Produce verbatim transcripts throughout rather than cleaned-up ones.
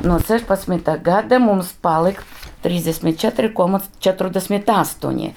no sešpadsmitā gada mums palika trīsdesmit četri komats četrdesmit astoņi,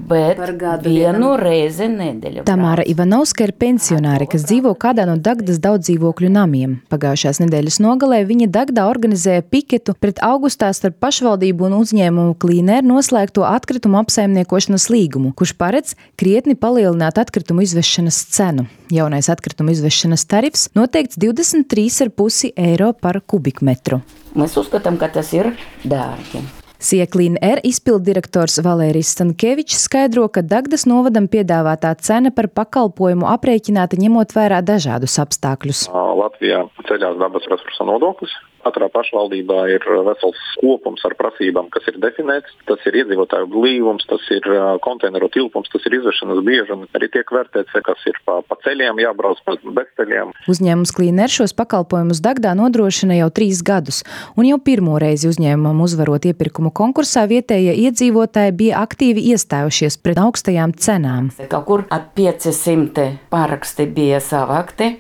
bet vienu reizi nedēļu. Tamāra Ivanovska ir pensionāre, kas dzīvo kādā no Dagdas daudzdzīvokļu namiem. Pagājušās nedēļas nogalē viņa Dagdā organizēja piketu pret augustā starp pašvaldību un uzņēmumu Clean Air noslēgto atkritumu apsaimniekošanas līgumu, kurš paredz krietni palielināt atkritumu izvešanas cenu. Jaunais atkritumu izvešanas tarifs noteikts divdesmit trīs ar pusi eiro par kubikmetru. Mēs uzskatām, ka tas ir dārgi. Sija Clean Air izpilddirektors Valērijs Stankevičs skaidro, ka Dagdas novadam piedāvātā cena par pakalpojumu aprēķināta ņemot vērā dažādus apstākļus. Latvijā ceļās dabas resursa nodoklis. Katrā pašvaldībā ir vesels kopums ar prasībām, kas ir definēts. Tas ir iedzīvotāju blīvums, tas ir konteineru tilpums, tas ir izvešanas biežums. Arī tiek vērtēts, kas ir pa, pa ceļiem jābrauc, pa bezceļiem. Uzņēmums Clean Air šos pakalpojumus Dagdā nodrošina jau trīs gadus, un jau pirmo reizi uzņēmumam uzvarot iepirkumu konkursā vietējie iedzīvotāji bija aktīvi iestājušies pret augstajām cenām. Kaut kur ap pieci simti paraksti bija savākti,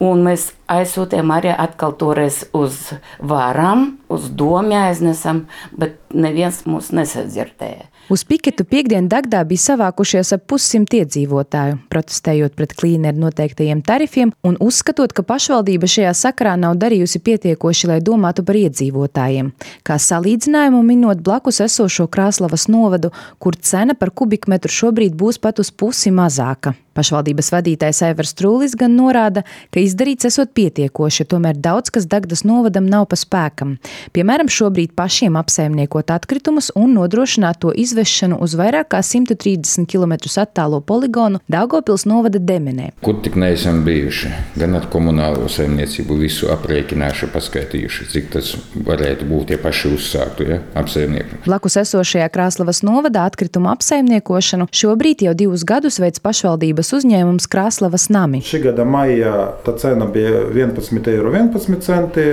un mēs aizsūtījām arī atkal toreiz uz varam, uz domu aiznesam, bet neviens mūs nesadzirdēja. Uz piketu piekdien Dagdā bija savākušies ap pussimt iedzīvotāju, protestējot pret Clean Air noteiktajiem tarifiem un uzskatot, ka pašvaldība šajā sakarā nav darījusi pietiekoši, lai domātu par iedzīvotājiem. Kā salīdzinājumu minot blakus esošo Krāslavas novadu, kur cena par kubikmetru šobrīd būs pat uz pusi mazāka. Pašvaldības vadītājs Aivars Trūlis gan norāda, ka izdarīts esot pietiekoši, tomēr daudz, kas Dagdas novadam nav pa spēkam. Piemēram, šobrīd pašiem apsaimniekot atkritumus un nodrošināt to izvešanu uz vairāk kā simt trīsdesmit kilometrus attālo poligonu Daugavpils novada Demenē. Kur tik neesam bijuši, gan ar komunālo saimniecību visu aprēķinājuši, paskaitījuši, cik tas varētu būt, ja paši uzsāktu, ja, apsaimnieku. Blakus esošajā Krāslavas novadā atkritumu apsaimniekošanu šobrīd jau divus gadus veic pašvaldības uzņēmums Krāslavas nami. Šī gada maijā tā cena bija vienpadsmit eiro vienpadsmit centi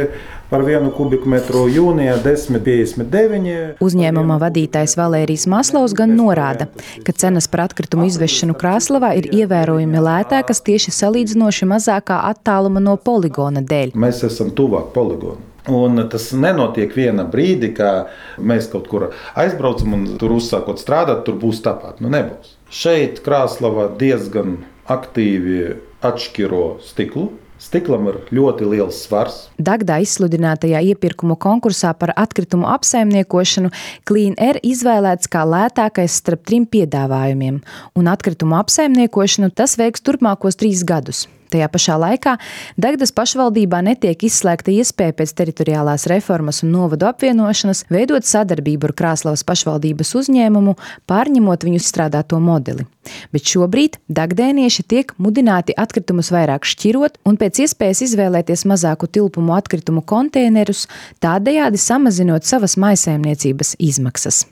par vienu kubikmetru, jūnijā desmit piecdesmit deviņi. Uzņēmuma vadītājs Valērijs Maslovs gan norāda, ka cenas par atkritumu izvešanu Krāslavā ir ievērojami lētākas tieši salīdzinoši mazākā attāluma no poligona dēļ. Mēs esam tuvāk poligonu. Un tas nenotiek viena brīdi, kā mēs kaut kur aizbraucam un tur uzsākot strādāt, tur būs tāpat. Nu nebūs. Šeit Krāslava diezgan aktīvi atšķiro stiklu. Stiklam ir ļoti liels svars. Dagdā izsludinātajā iepirkumu konkursā par atkritumu apsaimniekošanu Clean Air izvēlēts kā lētākais starp trim piedāvājumiem, un atkritumu apsaimniekošanu tas veiks turpmākos trīs gadus. Tajā pašā laikā Dagdas pašvaldībā netiek izslēgta iespēja pēc teritoriālās reformas un novadu apvienošanas veidot sadarbību ar Krāslavas pašvaldības uzņēmumu, pārņemot viņu izstrādāto modeli. Bet šobrīd dagdēnieši tiek mudināti atkritumus vairāk šķirot un pēc iespējas izvēlēties mazāku tilpumu atkritumu konteinerus, tādējādi samazinot savas mājsaimniecības izmaksas.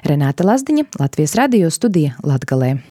Renāta Lazdiņa, Latvijas radio studija Latgalē.